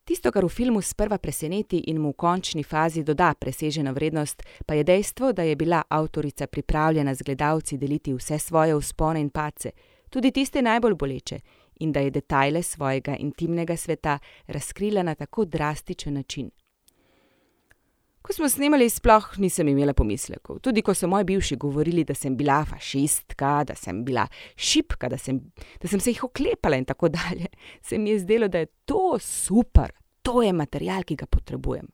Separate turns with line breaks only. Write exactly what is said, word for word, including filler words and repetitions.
Tisto, kar v filmu sprva preseneti in mu v končni fazi doda preseženo vrednost, pa je dejstvo, da je bila avtorica pripravljena z gledalci deliti vse svoje vzpone in padce, tudi tiste najbolj boleče, in da je detajle svojega intimnega sveta razkrila na tako drastičen način. Ko smo snemali, sploh nisem imela pomislekov. Tudi ko so moji bivši govorili, da sem bila fašistka, da sem bila šipka, da sem, da sem se jih oklepala in tako dalje, se mi je zdelo, da je to super, to je material, ki ga potrebujem.